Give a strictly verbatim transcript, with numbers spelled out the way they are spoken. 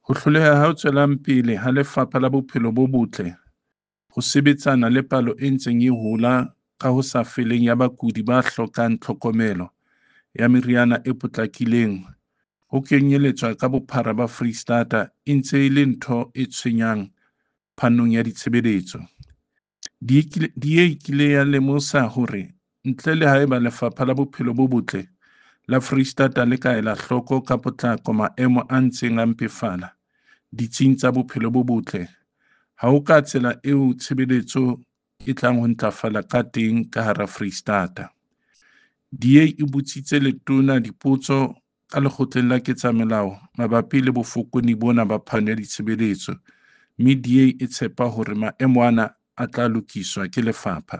Ho hloleha ho tswelang pele ha Lefapha la Bophelo bo Botle ho sebetsana le palo e ntseng e hola ka ho sa feleng ya bakudi ba hlokang tlhokomelo ya meriana e potlakileng ho kenyeletswa ka bophara ba Foreisetata e ntse e le ntho e tshwenyang phanong ya ditshebeletso. D A e kile ya lemosa hore ntle le haeba Lefapha la Bophelo bo Botle la Foreisetata le ka ela hloko ka potlako maemo a ntseng a mpefala ditsing tsa bophelo bo botle, ha ho ka tsela eo tshebeletso e tlang ho ntlafala ka teng ka hara Foreisetata. D A e botsitse letona dipotso ka Lekgotleng la Ketsamolao mabapi le bofokodi bona ba phano ya ditshebeletso mme D A e tshepa hore maemo ana a tla lokiswa ke lefapha.